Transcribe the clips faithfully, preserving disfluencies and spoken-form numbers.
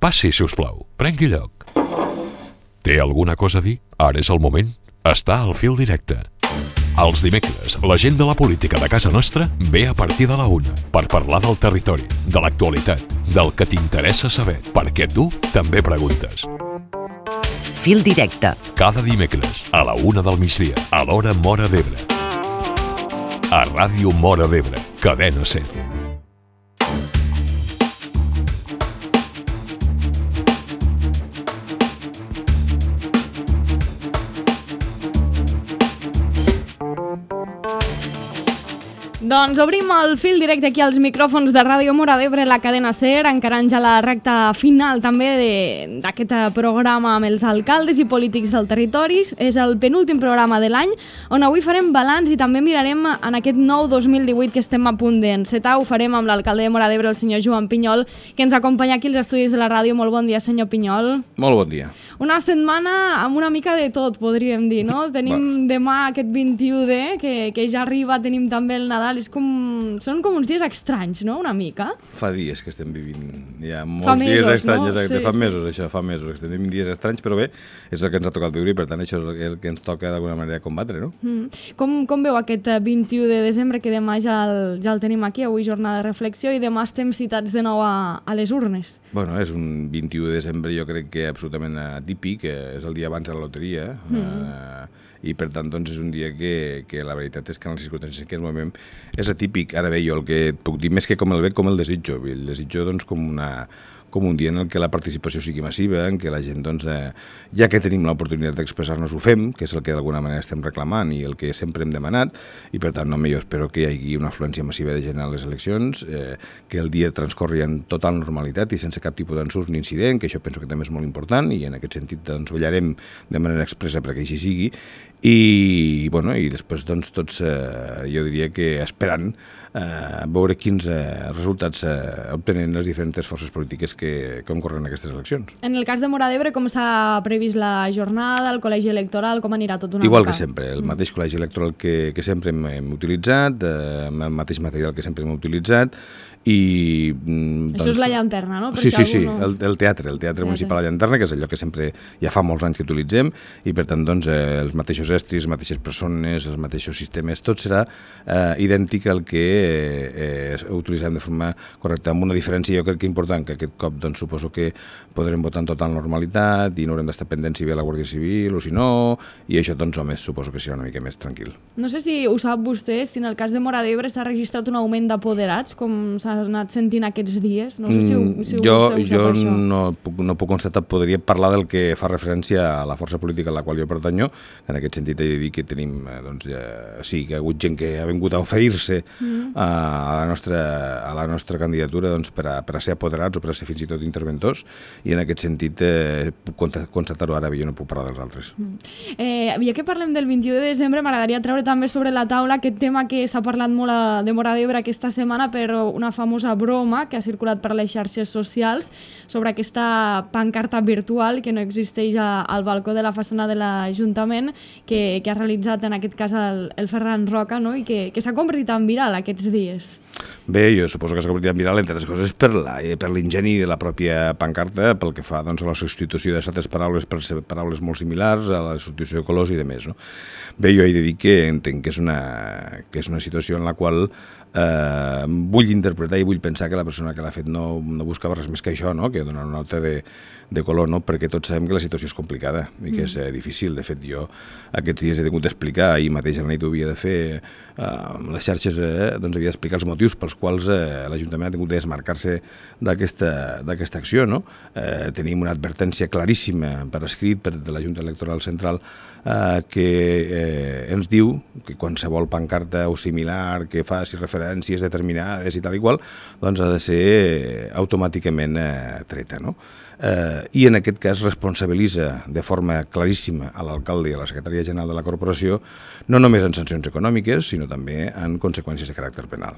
Passi, si us plau. Prengui lloc. Té alguna cosa a dir? Ara és el moment. Està al fil directe. Els dimecres, la gent de la política de casa nostra ve a partir de la una per parlar del territori, de l'actualitat, del que t'interessa saber, perquè tu també preguntes. Fil directe. Cada dimecres, a la una del migdia, a l'hora Móra d'Ebre. A Ràdio Móra d'Ebre, Cadena SER. Doncs obrim el fil directe aquí als micròfons de Ràdio Móra d'Ebre, la Cadena SER, encarant ja la recta final també d'aquest programa amb els alcaldes i polítics del territori. És el penúltim programa de l'any, on avui farem balanç i també mirarem en aquest nou dos mil divuit que estem a punt d'encetar. Ho farem amb l'alcalde de Móra d'Ebre, el senyor Joan Pinyol, que ens acompanya aquí als estudis de la ràdio. Molt bon dia, senyor Pinyol. Molt bon dia. Una setmana amb una mica de tot, podríem dir, no? Tenim demà aquest vint-i-u de, que, que ja arriba, tenim també el Nadal. És com... Són com uns dies estranys, no?, una mica. Fa dies que estem vivint, hi ha molts fa mesos, dies estranys, no? exacte, Sí, fa sí. mesos això, fa mesos que estem vivint dies estranys, però bé, és el que ens ha tocat viure i per tant això és el que ens toca d'alguna manera combatre, no? Mm. Com, com veu aquest vint-i-u de desembre, que demà ja el, ja el tenim aquí, avui jornada de reflexió, i demà estem citats de nou a, a les urnes? Bueno, és un vint-i-u de desembre, jo crec que absolutament atípic, és el dia abans de la loteria, mm. eh, i per tant doncs, és un dia que, que la veritat és que en les circumstàncies en què ens movem és atípic. Ara bé, jo el que et puc dir més que com el veig, com el desitjo. El desitjo doncs, com una... com un dia en el que la participació sigui massiva, en què la gent, doncs, eh, ja que tenim l'oportunitat d'expressar-nos, ho fem, que és el que d'alguna manera estem reclamant i el que sempre hem demanat, i per tant, no, jo espero que hi hagi una afluència massiva de gent a les eleccions, eh, que el dia transcorri en total normalitat i sense cap tipus d'ensurt ni incident, que això penso que també és molt important, i en aquest sentit doncs, vetllarem de manera expressa perquè així sigui, i, bueno, i després doncs, tots, eh, jo diria que esperant eh, veure quins eh, resultats eh, obtenen les diferents forces polítiques que que concorren aquestes eleccions. En el cas de Móra d'Ebre, com s'ha previst la jornada, el col·legi electoral, com anirà tot una Igual mica? que sempre, el mateix col·legi electoral que, que sempre hem, hem utilitzat, eh, el mateix material que sempre hem utilitzat, i... Doncs, això és la llanterna, no? Per sí, si sí, sí, no... el, el teatre, el teatre municipal a la llanterna, que és allò que sempre ja fa molts anys que utilitzem, i per tant, doncs, eh, els mateixos estris, les mateixes persones, els mateixos sistemes, tot serà eh, idèntic al que eh, eh, utilitzem de forma correcta, amb una diferència jo crec que important, que aquest cop doncs, suposo que podrem votar en total normalitat i no haurem d'estar pendents si ve la Guàrdia Civil o si no, i això, doncs, home, suposo que serà una mica més tranquil. No sé si ho sap vostè, si en el cas de Móra d'Ebre s'ha registrat un augment d'apoderats, com s'ha anat sentint aquests dies? No sé si, ho, si jo vostè ho sap, jo això. no puc, no puc constatar, podria parlar del que fa referència a la força política a la qual jo pertanyo, en aquest sentit he de dir que tenim, doncs, ja, sí, que ha hagut gent que ha vingut a oferir-se mm. a, la nostra, a la nostra candidatura doncs, per, a, per a ser apoderats o per a ser fins i tot interventors, i en aquest sentit eh, puc constatar-ho ara, jo no puc parlar dels altres. Mm. Eh, ja que parlem del vint-i-u de desembre, m'agradaria treure també sobre la taula aquest tema que s'ha parlat molt a, de Móra d'Ebre aquesta setmana, però una famosa broma que ha circulat per les xarxes socials sobre aquesta pancarta virtual que no existeix a, al balcó de la façana de l'Ajuntament, que, que ha realitzat en aquest cas el, el Ferran Roca, no? I que, que s'ha convertit en viral aquests dies. Bé, jo suposo que s'ha convertit en viral, entre altres coses, per l'ingeni de la pròpia pancarta, pel que fa doncs, a la substitució de certes paraules per paraules molt similars, a la substitució de colors i de més. No? Bé, jo he de dir que entenc que és una, que és una situació en la qual eh, vull interpretar i vull pensar que la persona que l'ha fet no, no buscava res més que això, no? Que donar una nota de, de color, no? Perquè tots sabem que la situació és complicada i que és eh, difícil. De fet, jo aquests dies he tingut d'explicar, ahir mateix a la nit ho havia de fer, eh, les xarxes eh, doncs havia d'explicar els motius pels quals eh, l'Ajuntament ha tingut de desmarcar-se d'aquesta acció, no? Eh, tenim una advertència claríssima per escrit per de la Junta Electoral Central eh, que eh, ens diu que qualsevol pancarta o similar que faci referències determinades i tal i qual, doncs ha de ser automàticament eh, treta, no? Eh, I en aquest cas responsabilitza de forma claríssima a l'alcalde i a la secretaria general de la corporació, no només en sancions econòmiques, sinó també en conseqüències de caràcter penal.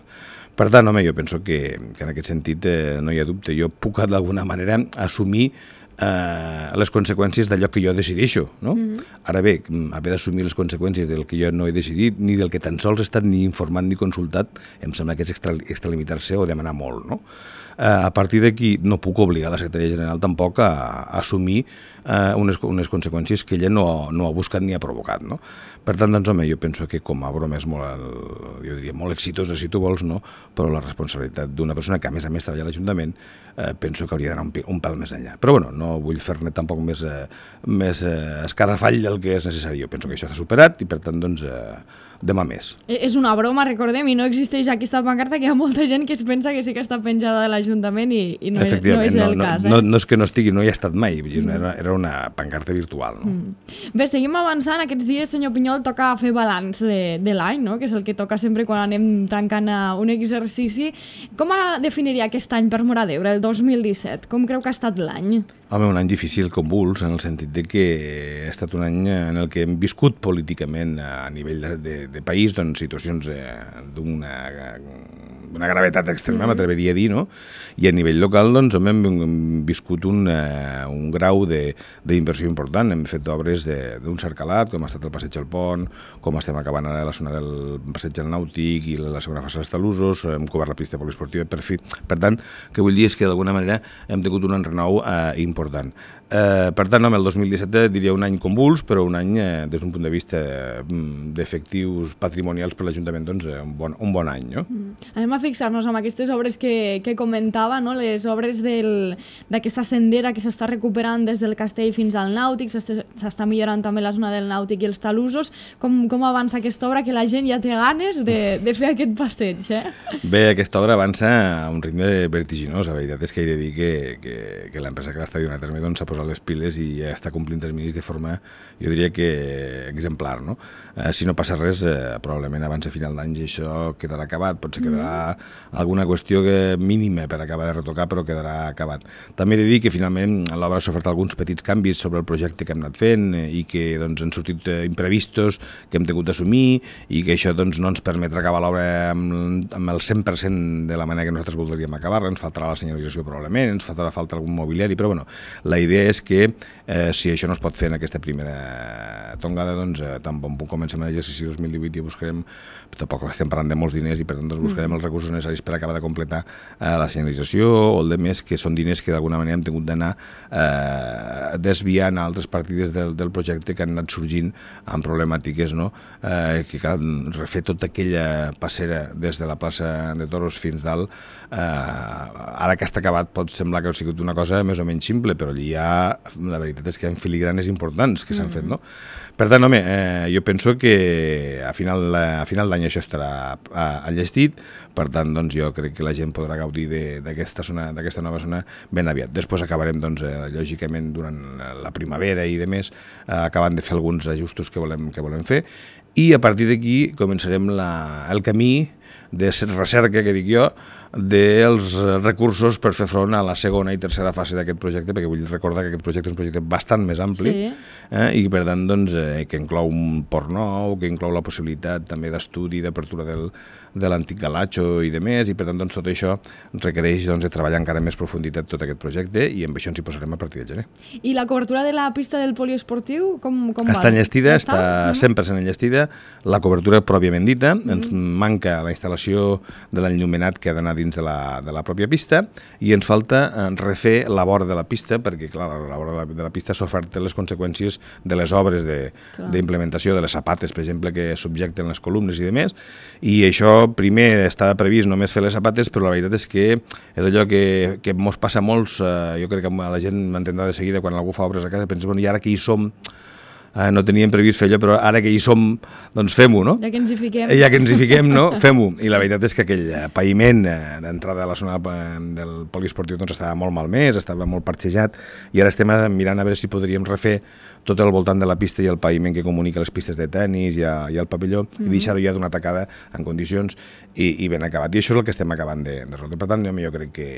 Per tant, home, jo penso que, que en aquest sentit eh, no hi ha dubte. Jo puc d'alguna manera assumir eh, les conseqüències d'allò que jo decideixo, no? Mm-hmm. Ara bé, haver d'assumir les conseqüències del que jo no he decidit, ni del que tan sols he estat ni informat ni consultat, em sembla que és extra, extralimitar-se o demanar molt, no? a partir d'aquí no puc obligar la secretària general tampoc a, a assumir eh, unes, unes conseqüències que ella no, no ha buscat ni ha provocat, no? Per tant, doncs, home, jo penso que com a broma és molt, jo diria, molt exitosa, si tu vols, no? Però la responsabilitat d'una persona que, a més a més, treballa a l'Ajuntament, eh, penso que hauria d'anar un, un pèl més enllà. Però, bueno, no vull fer-ne tampoc més, eh, més eh, escarrafall del que és necessari. Jo penso que això s'ha superat i, per tant, doncs, eh, demà més. És una broma, recordem, i no existeix aquesta pancarta, que hi ha molta gent que es pensa que sí que està penjada de l'Ajuntament i, i no, és, no és el no, cas. Eh? No, no és que no estigui, no hi ha estat mai, mm. era, era una pancarta virtual. No? Mm. Bé, seguim avançant. Aquests dies, senyor Pinyol, toca fer balanç de, de l'any, no? Que és el que toca sempre quan anem tancant un exercici. Com definiria aquest any per Móra d'Ebre, el dos mil disset? Com creu que ha estat l'any? Home, un any difícil, convuls, en el sentit de que ha estat un any en el que hem viscut políticament a nivell de, de, de país, doncs, situacions eh, d'una una gravetat extrema, mm. m'atreveria a dir, no? I a nivell local, doncs, hem, hem viscut un, eh, un grau d'inversió important. Hem fet obres d'un cercalat, com ha estat el Passeig del Pont, com estem acabant ara la zona del Passeig del Nàutic i la segona fase dels Talusos, hem cobert la pista poliesportiva, per fi. Per tant, que vull dir és que d'alguna manera hem tingut un enrenou eh, important. Eh, per tant, home, el dos mil disset diria un any convuls, però un any, eh, des d'un punt de vista eh, d'efectius patrimonials per l'Ajuntament, doncs, eh, un, bon, un bon any, no? Mm. Anem a fixar-nos amb aquestes obres que, que comentava, no? Les obres d'aquesta sendera que s'està recuperant des del Castell fins al Nàutic, s'està millorant també la zona del Nàutic i els Talusos. Com, com avança aquesta obra, que la gent ja té ganes de, de fer aquest passeig, eh? Bé, aquesta obra avança a un ritme vertiginós. La veritat és que he de dir que, que, que l'empresa que l'està duent a terme doncs, s'ha posat les piles i ja està complint terminis de forma, jo diria que exemplar, no? Eh, si no passa res, eh, probablement abans de final d'any això quedarà acabat, potser quedarà alguna qüestió que mínima per acabar de retocar, però quedarà acabat. També he de dir que finalment l'obra s'ha ofert alguns petits canvis sobre el projecte que hem anat fent i que doncs, han sortit imprevistos que hem tingut d'assumir i que això doncs, no ens permetrà acabar l'obra amb, amb el cent per cent de la manera que nosaltres voldríem acabar-la. Ens faltarà la senyalització probablement, ens faltarà falta algun mobiliari, però bueno, la idea és que eh, si això no es pot fer en aquesta primera tongada, doncs eh, tan bon punt comencem l'exercici dos mil divuit i buscarem, tampoc estem parlant de molts diners i per tant doncs, buscarem els recursos necessaris per acabar de completar eh, la senyalització o el de més, que són diners que d'alguna manera hem tingut d'anar eh, desviant a altres partides del, del projecte que han anat sorgint amb problemàtiques, no? Eh, que cal refer tota aquella passera des de la plaça de Toros fins dalt. Eh, ara que està acabat pot semblar que ha sigut una cosa més o menys simple, però allí hi ha, la veritat és que hi ha filigranes importants que s'han mm. fet, no? Per tant, home, eh, jo penso que a final, a final d'any això estarà enllestit, per tant, doncs, jo crec que la gent podrà gaudir d'aquesta zona, d'aquesta nova zona ben aviat. Després acabarem, doncs, eh, lògicament, durant la primavera i de més, eh, acabant de fer alguns ajustos que volem, que volem fer, i a partir d'aquí començarem la, el camí de recerca, que dic jo, dels recursos per fer front a la segona i tercera fase d'aquest projecte, perquè vull recordar que aquest projecte és un projecte bastant més ampli, sí. eh, i per tant doncs, eh, que inclou un port nou, que inclou la possibilitat també d'estudi, d'apertura del, de l'antic galatxo i de més, i per tant doncs, tot això requereix doncs, de treballar encara més profunditat tot aquest projecte, i amb això ens hi posarem a partir del gener. I la cobertura de la pista del poliesportiu, com, com està va? Enllestida, està, està cent per cent enllestida, la cobertura pròpiament dita, mm. ens manca la instal·lació de l'enllumenat que ha d'anar dins de la, de la pròpia pista, i ens falta refer la vora de la pista, perquè clar, la vora de la, de la pista s'ofert les conseqüències de les obres d'implementació de, de les sapates, per exemple, que subjecten les columnes i demés, i això primer estava previst només fer les sapates, però la veritat és que és allò que, que mos passa a molts, eh, jo crec que la gent m'entendrà de seguida quan algú fa obres a casa, pensa, bueno, i ara que hi som, Eh, no teníem previst fer allò, però ara que hi som, doncs fem-ho, no? Ja que ens hi fiquem. Ja que ens hi fiquem, no? Fem-ho. I la veritat és que aquell paviment d'entrada a la zona del poliesportiu doncs estava molt malmès, estava molt parxejat, i ara estem mirant a veure si podríem refer tot el voltant de la pista i el paviment que comunica les pistes de tennis i, a, i el pavelló, mm-hmm. i deixar-ho ja d'una tacada en condicions i, i ben acabat. I això és el que estem acabant de, de resoldre. Per tant, jo, jo crec que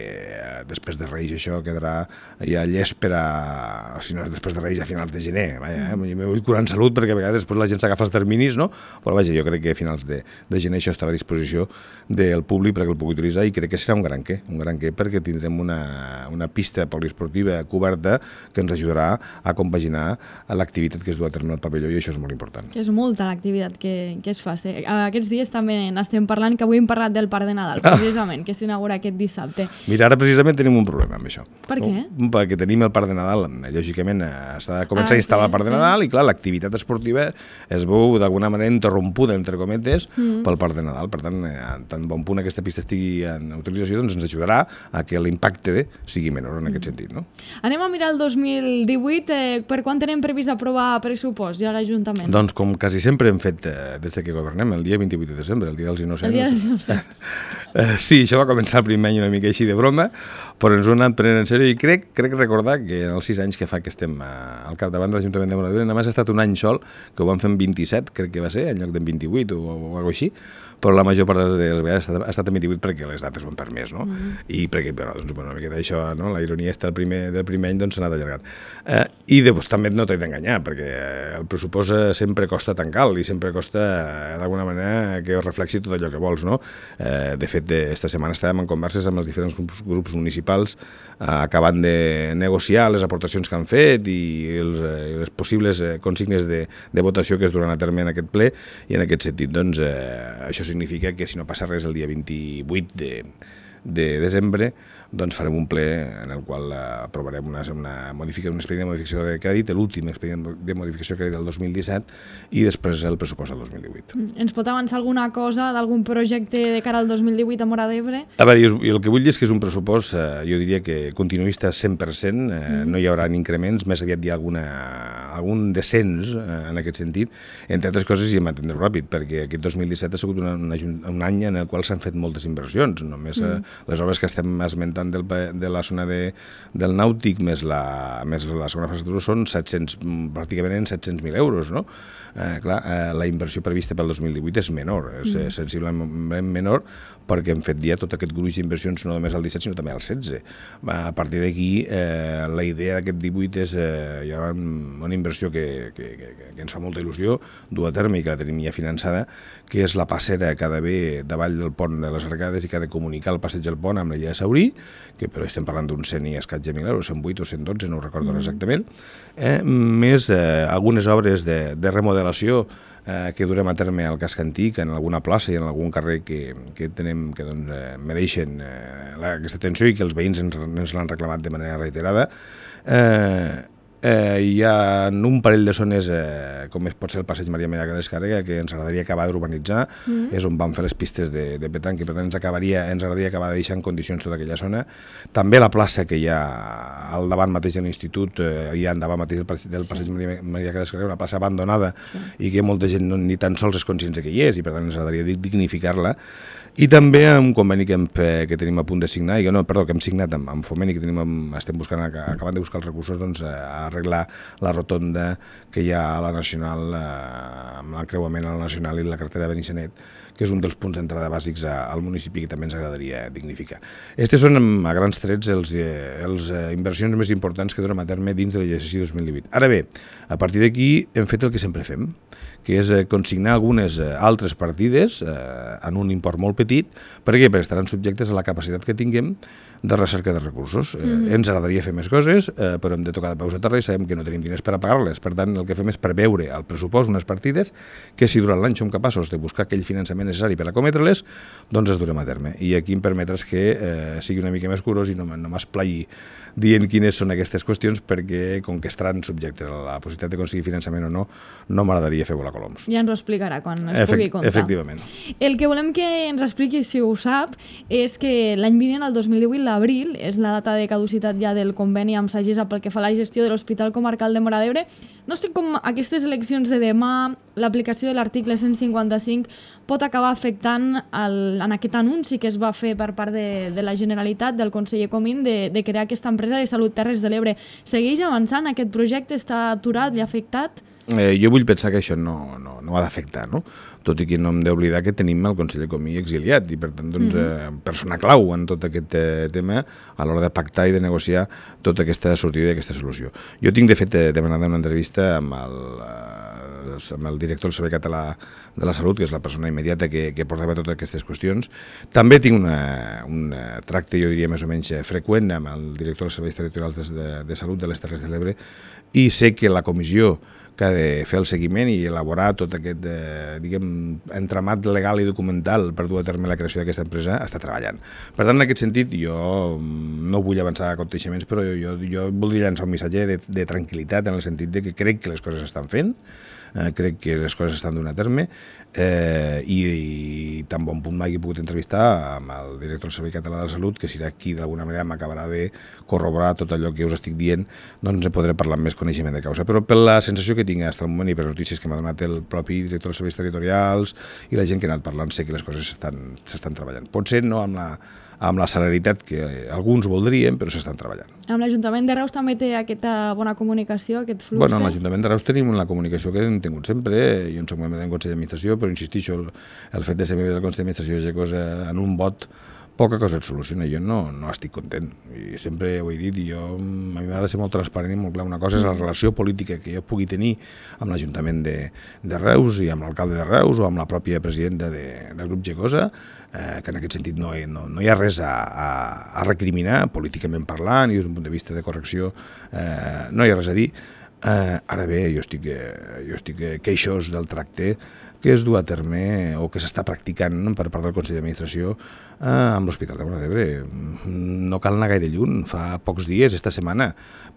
després de Reis això quedarà ja llest per a... Si no és després de Reis a finals de gener. Vaja, eh? vull curar en salut, perquè a vegades després la gent s'agafa els terminis, no? Però vaja, jo crec que a finals de, de gener això estarà a disposició del públic perquè el pugui utilitzar i crec que serà un gran què, un gran què perquè tindrem una, una pista poliesportiva coberta que ens ajudarà a compaginar l'activitat que es du a terme al pavelló i això és molt important. Que és molta l'activitat que, que es fa. Aquests dies també n'estem parlant, que avui hem parlat del Parc de Nadal, precisament, que s'inaugura aquest dissabte. Mira, ara precisament tenim un problema amb això. Per què? No? Perquè tenim el Parc de Nadal, lògicament s'ha de començar ah, a instal·lar sí, el Parc sí. de Nadal i clar, l'activitat esportiva es veu d'alguna manera interrompuda, entre cometes, mm. pel Parc de Nadal. Per tant, tant bon punt aquesta pista estigui en utilització, doncs ens ajudarà a que l'impacte sigui menor en aquest mm. sentit. No? Anem a mirar el dos mil divuit. Eh, per quan tenim previst aprovar pressupost ja a l'Ajuntament? Doncs com quasi sempre hem fet eh, des que governem, el dia vint-i-vuit de desembre, el dia dels innocents. El dia dels innocents. Uh, sí, això va començar el primer any una mica així de broma, però ens ho hem anat prenent en sèrio i crec, crec recordar que en els sis anys que fa que estem uh, al capdavant de l'Ajuntament de Móra d'Ebre només ha estat un any sol, que ho vam fer en vint-i-set, crec que va ser, en lloc d'en vint-i-vuit o, o alguna cosa així, però la major part de les vegades ha estat, ha estat en vint-i-vuit perquè les dates ho han permès, no? Mm. I perquè, però, doncs, bueno, una miqueta això, no? La ironia està el primer, del primer any, doncs s'ha anat allargant. Uh, I després també no t'he d'enganyar, perquè el pressupost sempre costa tan cal i sempre costa, uh, d'alguna manera, que reflexi tot allò que vols, no? Uh, de fet, esta setmana estàvem en converses amb els diferents grups, grups municipals uh, acabant de negociar les aportacions que han fet i, els, uh, les possibles uh, consignes de, de votació que es duran a terme en aquest ple i en aquest sentit, doncs, uh, això significa que si no passa res el dia vint-i-vuit de, de desembre, doncs farem un ple en el qual aprovarem una, una modificació, un expedient de modificació de crèdit, l'últim expedient de modificació de crèdit del dos mil disset i després el pressupost del dos mil divuit. Ens pot avançar alguna cosa d'algun projecte de cara al dos mil divuit a Móra d'Ebre? A veure, i el que vull dir és que és un pressupost, eh, jo diria que continuista cent per cent, eh, mm. no hi haurà increments, més aviat hi ha alguna, algun descens eh, en aquest sentit, entre altres coses i em entendre ràpid, perquè aquest dos mil disset ha sigut una, una, un any en el qual s'han fet moltes inversions, només mm. eh, les obres que estem esmentant Del, de la zona de, del nàutic més la, més la segona fase de són set-cents, pràcticament en set-cents mil euros, no? Eh, clar, eh, la inversió prevista pel dos mil divuit és menor, és mm. sensiblement menor, perquè hem fet ja tot aquest gruix d'inversions no només al disset sinó també al setze. A partir d'aquí, eh, la idea d'aquest divuit és eh, hi ha una inversió que, que, que, que ens fa molta il·lusió, dur a terme i que la tenim ja finançada, que és la passera que ha d'haver davall del pont de les Arcades i que ha de comunicar el passeig del pont amb l'illa de Saurí, que però estem parlant d'un cent i escaig de mil euros, cent vuit o cent dotze, no ho recordo mm. exactament, eh, més eh, algunes obres de, de remodelació eh, que durem a terme al casc antic, en alguna plaça i en algun carrer que, que, tenem, que doncs, eh, mereixen eh, la, aquesta atenció i que els veïns ens, ens l'han reclamat de manera reiterada. Eh, Eh, hi ha un parell de zones, eh, com pot ser el passeig Maria Mella de Descàrrega, que ens agradaria acabar d'urbanitzar, mm. és on vam fer les pistes de, de petanc, i per tant ens, acabaria, ens agradaria acabar de deixar en condicions tota aquella zona. També la plaça que hi ha al davant mateix de l'institut, eh, hi ha davant mateix del, del passeig sí. Maria, Maria de Descàrrega, una plaça abandonada sí. i que molta gent no, ni tan sols és conscient que hi és, i per tant ens agradaria dignificar-la. I també un conveni que, hem, que tenim a punt de signar, i no, perdó, que hem signat amb, amb Foment i que tenim, amb, estem buscant, acabant de buscar els recursos, doncs, a arreglar la rotonda que hi ha a la Nacional, eh, amb l'encreuament a la Nacional i la carretera de Benissanet, que és un dels punts d'entrada bàsics a, al municipi que també ens agradaria dignificar. Estes són, a grans trets, els, els eh, inversions més importants que durem a terme dins de l'exercici dos mil divuit. Ara bé, a partir d'aquí hem fet el que sempre fem, que és eh, consignar algunes eh, altres partides eh, en un import molt petit, perquè, perquè estaran subjectes a la capacitat que tinguem de recerca de recursos. Eh, mm-hmm. Ens agradaria fer més coses, eh, però hem de tocar de peus a terra i sabem que no tenim diners per a pagar-les. Per tant, el que fem és preveure al pressupost unes partides que, si durant l'any som capaços de buscar aquell finançament necessari per acometre-les, doncs es durem a terme. I aquí em permetres que eh, sigui una mica més curós i no, no m'esplai dient quines són aquestes qüestions, perquè, com que estaran subjectes a la possibilitat d'aconseguir finançament o no, no m'agradaria fer volar coloms. Ja ens ho explicarà quan es Efect, pugui contar. Efectivament. El que volem que ens expliqui, si ho sap, és que l'any vinent, el dos mil divuit, l'abril, és la data de caducitat ja del conveni amb Sagisa pel que fa a la gestió de l'Hospital Comarcal de Móra d'Ebre. No sé com aquestes eleccions de demà, l'aplicació de l'article cent cinquanta-cinc, pot acabar afectant el, en aquest anunci que es va fer per part de, de la Generalitat, del conseller Comín, de, de crear aquesta empresa de Salut Terres de l'Ebre. Segueix avançant aquest projecte? Està aturat i afectat? eh, jo vull pensar que això no, no, no ha d'afectar, no? Tot i que no hem d'oblidar que tenim el conseller Comí exiliat i, per tant, doncs, eh, persona clau en tot aquest eh, tema a l'hora de pactar i de negociar tota aquesta sortida i aquesta solució. Jo tinc, de fet, eh, demanat una entrevista amb el, eh, amb el director del Servei Català de la Salut, que és la persona immediata que, que portava totes aquestes qüestions. També tinc una, un tracte, jo diria, més o menys freqüent amb el director dels Serveis Territorials de, de Salut de les Terres de l'Ebre i sé que la comissió que ha de fer el seguiment i elaborar tot aquest eh, diguem, entramat legal i documental per dur a terme la creació d'aquesta empresa està treballant. Per tant, en aquest sentit, jo no vull avançar aconteixements, però jo, jo, jo voldria llançar un missatge de, de tranquil·litat en el sentit de que crec que les coses estan fent, eh, crec que les coses estan donant a terme eh, i, i tan bon punt m'hagi pogut entrevistar amb el director del Servei Català de la Salut, que serà qui d'alguna manera m'acabarà de corroborar tot allò que us estic dient, doncs podré parlar amb més coneixement de causa. Però per la sensació que tinc fins al moment i per notícies que m'ha donat el propi director dels serveis territorials i la gent que ha anat parlant, sé que les coses s'estan treballant. Potser no amb la, amb la celeritat que alguns voldrien, però s'estan treballant. Amb l'Ajuntament de Reus també té aquesta bona comunicació, aquest flux? Bueno, amb l'Ajuntament de Reus tenim la comunicació que hem tingut sempre. Jo en soc membre del Consell d'Administració, però insistixo, el, el fet de ser membre del Consell d'Administració és cosa en un vot poca cosa et soluciona. Jo no, no estic content. I sempre ho he dit, i jo, a mi m'ha de ser molt transparent i molt clar. Una cosa és la relació política que jo pugui tenir amb l'Ajuntament de, de Reus i amb l'alcalde de Reus o amb la pròpia presidenta de, del grup Gecosa, eh, que en aquest sentit no, no, no hi ha res a, a, a recriminar, políticament parlant i des d'un punt de vista de correcció, eh, no hi ha res a dir. Eh, ara bé, jo estic, eh, jo estic queixós del tracte que es du a terme o que s'està practicant per part del Consell d'Administració eh, amb l'Hospital de Móra d'Ebre. No cal anar gaire lluny. Fa pocs dies, esta setmana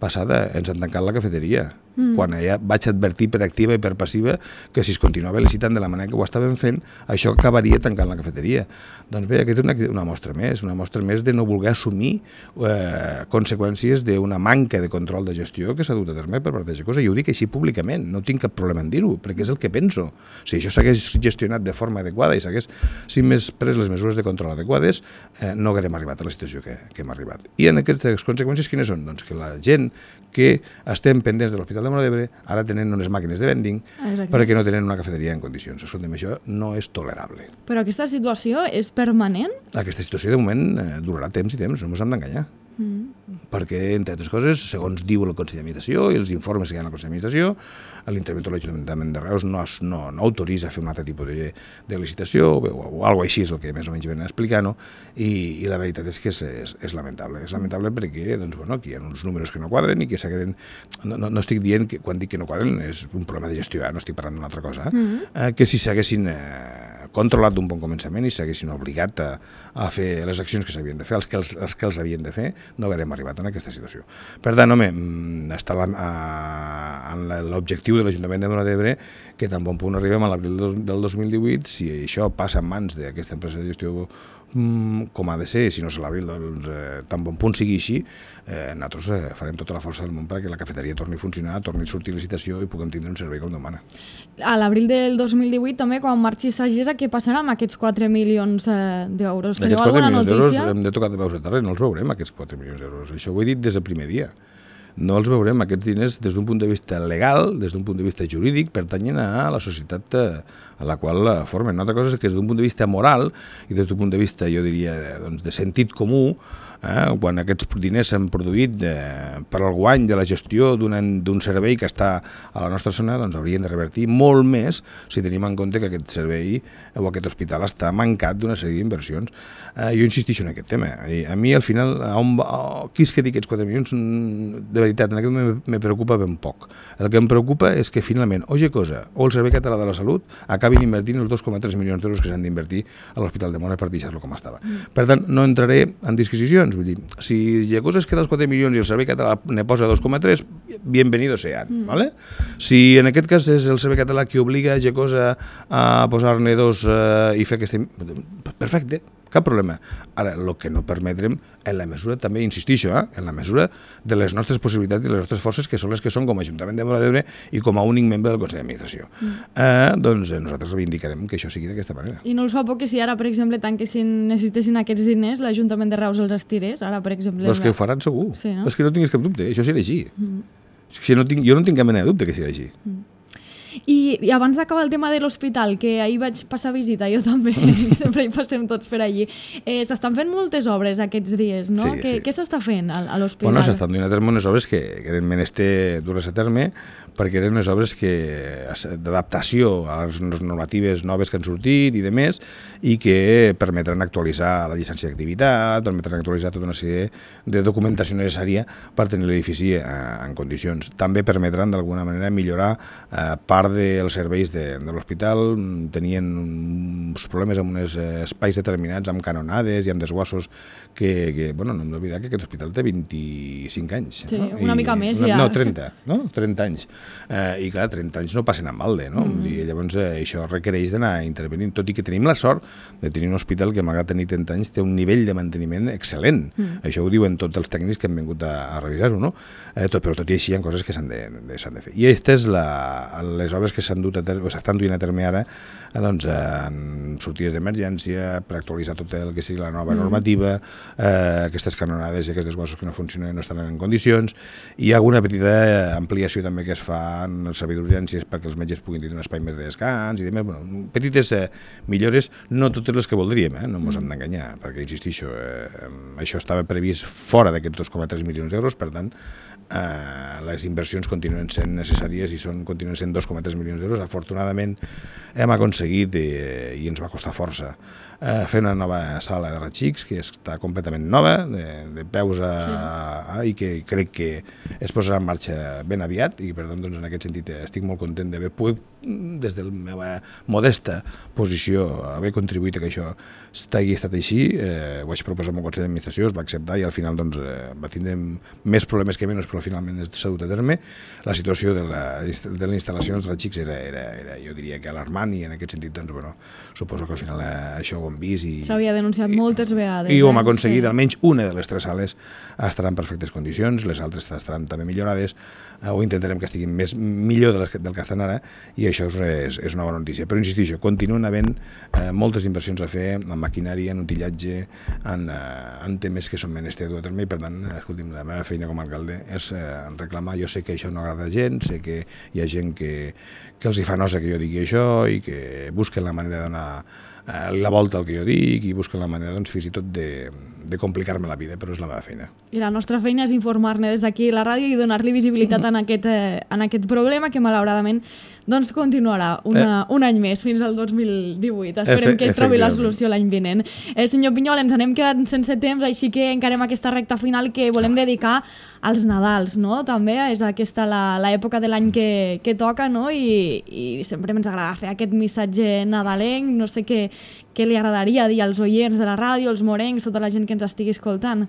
passada, ens han tancat la cafeteria. Mm. Quan ja vaig advertir per activa i per passiva que si es continuava licitant de la manera que ho estaven fent, això acabaria tancant la cafeteria. Doncs bé, aquesta és una, una mostra més, una mostra més de no voler assumir eh, conseqüències d'una manca de control de gestió que s'ha dut a terme per part de Gecosa. I ho dic així públicament, no tinc cap problema en dir-ho, perquè és el que penso. Si això s'hagués gestionat de forma adequada i s'hagués, si més pres les mesures de control adequades, eh, no haguérem arribat a la situació que, que hem arribat. I en aquestes conseqüències quines són? Doncs que la gent que estem pendents de l'Hospital de Móra d'Ebre ara tenen unes màquines de vending Exacte. Perquè no tenen una cafeteria en condicions. Escolta'm, això no és tolerable. Però aquesta situació és permanent? Aquesta situació de moment eh, durarà temps i temps, no ens hem d'enganyar. Mm. Perquè, entre altres coses, segons diu el Consell d'Administració i els informes que hi ha al Consell d'Administració, l'interventor de l'Ajuntament de Reus no, no, no autoritza fer un altre tipus de, de licitació o, o, o alguna així és el que més o menys venen a explicar, no? I, i la veritat és que és, és, és lamentable. És lamentable perquè doncs, bueno, aquí hi ha uns números que no quadren i que s'hagueren... No, no, no estic dient que quan dic que no quadren és un problema de gestió, eh? No estic parlant d'una altra cosa, eh? Mm-hmm. eh, que si s'haguessin eh, controlat d'un bon començament i s'haguessin obligat a, a fer les accions que s'havien de fer, els que els, els que els havien de fer, no haguérem arribat en aquesta situació. Per tant, home, està la, a, en l'objectiu de l'Ajuntament de Móra d'Ebre que tan bon punt arribem a l'abril del dos mil divuit, si això passa en mans d'aquesta empresa de gestió com ha de ser, si no és a l'abril, doncs eh, tan bon punt sigui així, eh, nosaltres eh, farem tota la força del món perquè la cafeteria torni a funcionar, torni a sortir licitació i puguem tindre un servei com demana. A l'abril del dos mil divuit també, quan marxi Sagessa, què passarà amb aquests quatre milions eh, d'euros? Teniu alguna notícia? D'aquests quatre milions d'euros hem de tocar de peus a terra, no els veurem, aquests quatre milions d'euros. Això ho he dit des del primer dia. No els veurem, aquests diners, des d'un punt de vista legal, des d'un punt de vista jurídic, pertanyen a la societat a la qual formen. Una altra cosa és que des d'un punt de vista moral i des d'un punt de vista, jo diria, doncs, de sentit comú, eh, quan aquests diners s'han produït eh, per al guany de la gestió d'un servei que està a la nostra zona, doncs haurien de revertir molt més si tenim en compte que aquest servei o aquest hospital està mancat d'una sèrie d'inversions. Eh, jo insistixo en aquest tema. I a mi, al final, a on, a, qui es quedi aquests quatre milions, de veritat, en aquest moment me preocupa ben poc. El que em preocupa és que finalment o Gecosa o el Servei Català de la Salut acabin invertint els dos coma tres milions d'euros que s'han d'invertir a l'Hospital de Móra per deixar-lo com estava. Mm. Per tant, no entraré en disquisicions. Vull dir, si Gecosa es queda els quatre milions i el Servei Català ne posa dos coma tres, bienvenido sean. Mm. ¿Vale? Si en aquest cas és el Servei Català qui obliga a Gecosa a posar-ne dos eh, i fer aquesta... Perfecte. Cap problema. Ara, el que no permetrem, en la mesura, també insistixo, eh, en la mesura de les nostres possibilitats i les nostres forces, que són les que són com a Ajuntament de Móra d'Ebre i com a únic membre del Consell d'Administració. Mm. Eh, doncs eh, nosaltres reivindicarem que això sigui d'aquesta manera. I no els fa por que si ara, per exemple, tanquessin, necessitessin aquests diners, l'Ajuntament de Reus els estirés? Ara, per exemple... Doncs que ho faran segur. Sí, no? És que no tinguis cap dubte, això serà així. Mm. És que no tinc, jo no tinc cap mena de dubte que serà així. Mm. I, i abans d'acabar el tema de l'hospital, que ahir vaig passar visita, jo també, sempre hi passem tots per allí, eh, s'estan fent moltes obres aquests dies, no? Sí, què, sí. què s'està fent a, a l'hospital? Bueno, s'estan duent a terme unes obres que, que eren menester dur-les a terme, perquè eren unes obres que d'adaptació a les normatives noves que han sortit i de més, i que permetran actualitzar la llicència d'activitat, permetran actualitzar tota una sèrie de documentació necessària per tenir l'edifici eh, en condicions. També permetran d'alguna manera millorar eh, part dels serveis de, de l'hospital. Tenien uns problemes amb uns espais determinats, amb canonades i amb desguassos que, que bueno, no hem d'oblidar que aquest hospital té vint-i-cinc anys. Sí, no? una I, mica més una, ja. No, trenta, no? trenta anys. Eh, I clar, trenta anys no passen en balde, no? Mm. I llavors eh, això requereix d'anar intervenint, tot i que tenim la sort de tenir un hospital que, malgrat tenir trenta anys, té un nivell de manteniment excel·lent. Mm. Això ho diuen tots els tècnics que han vingut a, a revisar-ho, no? Eh, tot, però tot i així hi ha coses que s'han de, de, s'han de fer. I aquestes, la, les obres que s'han dut a terme, s'estan duint a terme ara, eh, doncs, en sortides d'emergència, per actualitzar tot el que sigui la nova mm. normativa, eh, aquestes canonades i aquests desguassos que no funcionen no estan en condicions. Hi ha alguna petita ampliació també que es fa en el servei d'urgències perquè els metges puguin tenir un espai més de descans i demés. Bueno, petites eh, millores, no totes les que voldríem, eh? No ens hem d'enganyar, perquè, insistixo, eh, això estava previst fora d'aquests dos coma tres milions d'euros, per tant, eh, les inversions continuen sent necessàries i són, continuen sent dos coma tres milions d'euros. Afortunadament hem aconseguit, eh, i ens va costar força, eh, fer una nova sala de raigs que està completament nova, de, de peus a, sí. a, i que crec que es posarà en marxa ben aviat, i per tant, doncs, en aquest sentit estic molt content d'haver pogut, des de la meva modesta posició, haver contribuït a que això hagi estat així. Eh, ho vaig proposar amb el Consell d'Administració, es va acceptar i al final doncs, eh, va tindre més problemes que menys, però finalment s'ha dut a terme. La situació de la, de les instal·lacions de raigs era, era, era, jo diria que alarmant, i en aquest sentit, doncs, bueno, suposo que al final eh, això ho hem vist. I s'havia denunciat i, moltes vegades. I ho hem eh? aconseguit, sí. Almenys una de les tres sales estarà en perfectes condicions, les altres estaran també millorades, eh, o intentarem que estiguin més millor del que, del que estan ara, i això és, és una bona notícia. Però insistixo, continuen havent eh, moltes inversions a fer en maquinària, en utillatge, en, eh, en temes que són menester dur a terme, i per tant, escolti'm, la meva feina com a alcalde és eh, reclamar. Jo sé que això no agrada a gent, sé que hi ha gent que, que els hi fa nosa que jo digui això i que busquen la manera de donar eh, la volta al que jo dic i busquen la manera, doncs, fins i tot de, de complicar-me la vida, però és la meva feina. I la nostra feina és informar-ne des d'aquí a la ràdio i donar-li visibilitat en aquest, eh, en aquest problema que malauradament doncs continuarà una, eh. un any més, fins al dos mil divuit. Esperem Efe, que ell trobi la solució l'any vinent. Eh, senyor Pinyol, ens anem quedant sense temps, així que encarem aquesta recta final que volem dedicar als Nadals, no? També és aquesta l'època de l'any que, que toca, no? I, i sempre ens agrada fer aquest missatge nadalenc. No sé què, què li agradaria dir als oients de la ràdio, als morencs, tota la gent que ens estigui escoltant.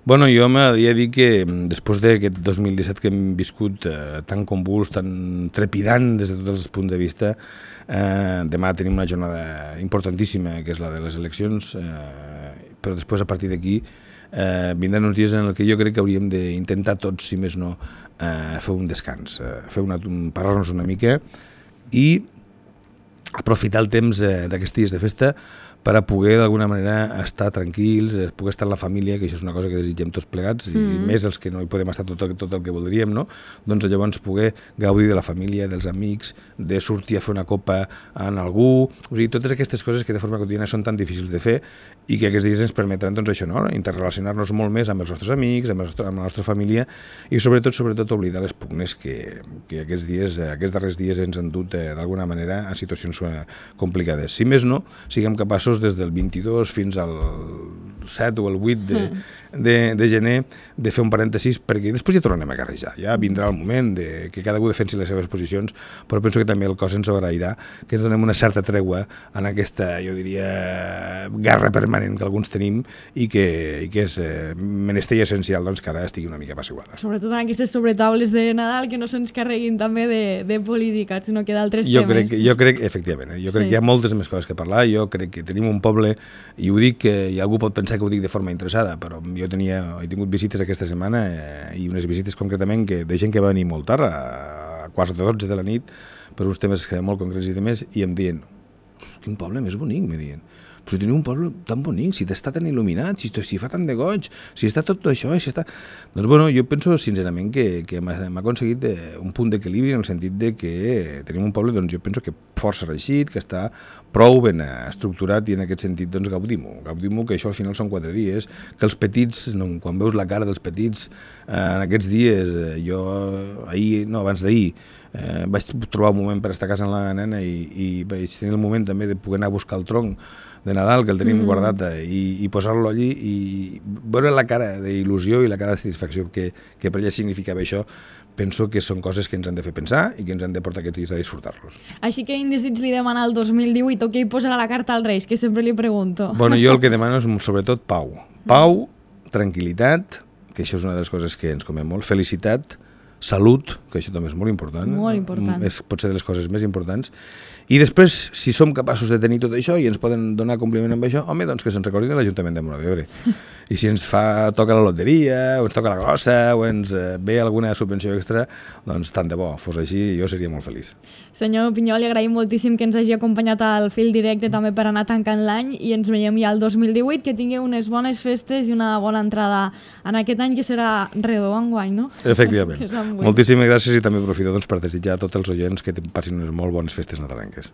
Bueno, jo m'agradaria dir que després d'aquest dos mil disset que hem viscut eh, tan convuls, tan trepidant des de tots els punts de vista, eh, demà tenim una jornada importantíssima, que és la de les eleccions, eh, però després, a partir d'aquí, eh, vindran uns dies en què jo crec que hauríem d'intentar tots, si més no, eh, fer un descans, eh, fer una, parar-nos una mica i aprofitar el temps eh, d'aquests dies de festa per a poder d'alguna manera estar tranquils, poder estar amb la família, que això és una cosa que desitgem tots plegats, mm. i més els que no hi podem estar tot, tot el que voldríem, no? Doncs llavors poder gaudir de la família, dels amics, de sortir a fer una copa en algú, o sigui, totes aquestes coses que de forma quotidiana són tan difícils de fer i que aquests dies ens permetran, doncs, això, no? Interrelacionar-nos molt més amb els nostres amics, amb, el nostre, amb la nostra família, i sobretot, sobretot oblidar les pugnes que, que aquests dies, aquests darrers dies ens han dut eh, d'alguna manera a situacions eh, complicades. Si més no, siguem capaços des del vint-i-dos fins al set o el vuit de, de, de gener de fer un parèntesis, perquè després ja tornarem a carrejar, ja vindrà el moment de que cada un defensi les seves posicions, però penso que també el cos ens agrairà que ens donem una certa tregua en aquesta, jo diria, guerra permanent que alguns tenim i que, i que és eh, menester i essencial, doncs, que ara estigui una mica apaciguada. Sobretot en aquestes sobretaules de Nadal, que no se'ns carreguin també de, de política, sinó que d'altres temes. Crec, jo crec, efectivament, eh, jo crec sí. que hi ha moltes més coses que parlar, jo crec que tenim un poble, i ho dic, i algú pot pensar que ho dic de forma interessada, però jo tenia, he tingut visites aquesta setmana eh, i unes visites concretament que, de gent que va venir molt tard, a quarts de dotze de la nit, per uns temes molt concrets i demés, i em diuen, quin poble més bonic, me diuen. però si teniu un poble tan bonic, si està tan il·luminat, si, si fa tant de goig, si està tot això, si està... Doncs bueno, jo penso sincerament que, que hem aconseguit un punt d'equilibri en el sentit de que tenim un poble, doncs jo penso que força reeixit, que està prou ben estructurat i en aquest sentit doncs gaudim-ho, gaudim-ho, que això al final són quatre dies, que els petits, no, quan veus la cara dels petits eh, en aquests dies, eh, jo ahir, no, abans d'ahir, Eh, vaig trobar un moment per estar a casa amb la nena i, i vaig tenir el moment també de poder anar a buscar el tronc de Nadal, que el tenim mm. guardat, eh, i, i posar-lo allí i veure la cara d'il·lusió i la cara de satisfacció que, que per ella significava això. Penso que són coses que ens han de fer pensar i que ens han de portar aquests dies a disfrutar-los. Així que quin desig li demana el dos mil divuit o què hi posarà la carta als Reis, que sempre li pregunto. Bueno, jo el que demano és sobretot pau. Pau, tranquil·litat, que això és una de les coses que ens comem molt, felicitat, salut, que això també és molt important, molt important. És, pot ser de les coses més importants, i després, si som capaços de tenir tot això i ens poden donar compliment amb això, home, doncs que se'ns recordin de l'Ajuntament de Móra d'Ebre. I si ens fa, toca la loteria, o ens toca la grossa, o ens eh, ve alguna subvenció extra, doncs tant de bo, fos així, jo seria molt feliç. Senyor Pinyol, li agraïm moltíssim que ens hagi acompanyat al fil directe també per anar tancant l'any i ens veiem ja el dos mil divuit, que tingueu unes bones festes i una bona entrada en aquest any que serà redó enguany, no? Efectivament. Moltíssimes gràcies i també aprofito doncs, per desitjar a tots els oients que passin unes molt bones festes nadalenques.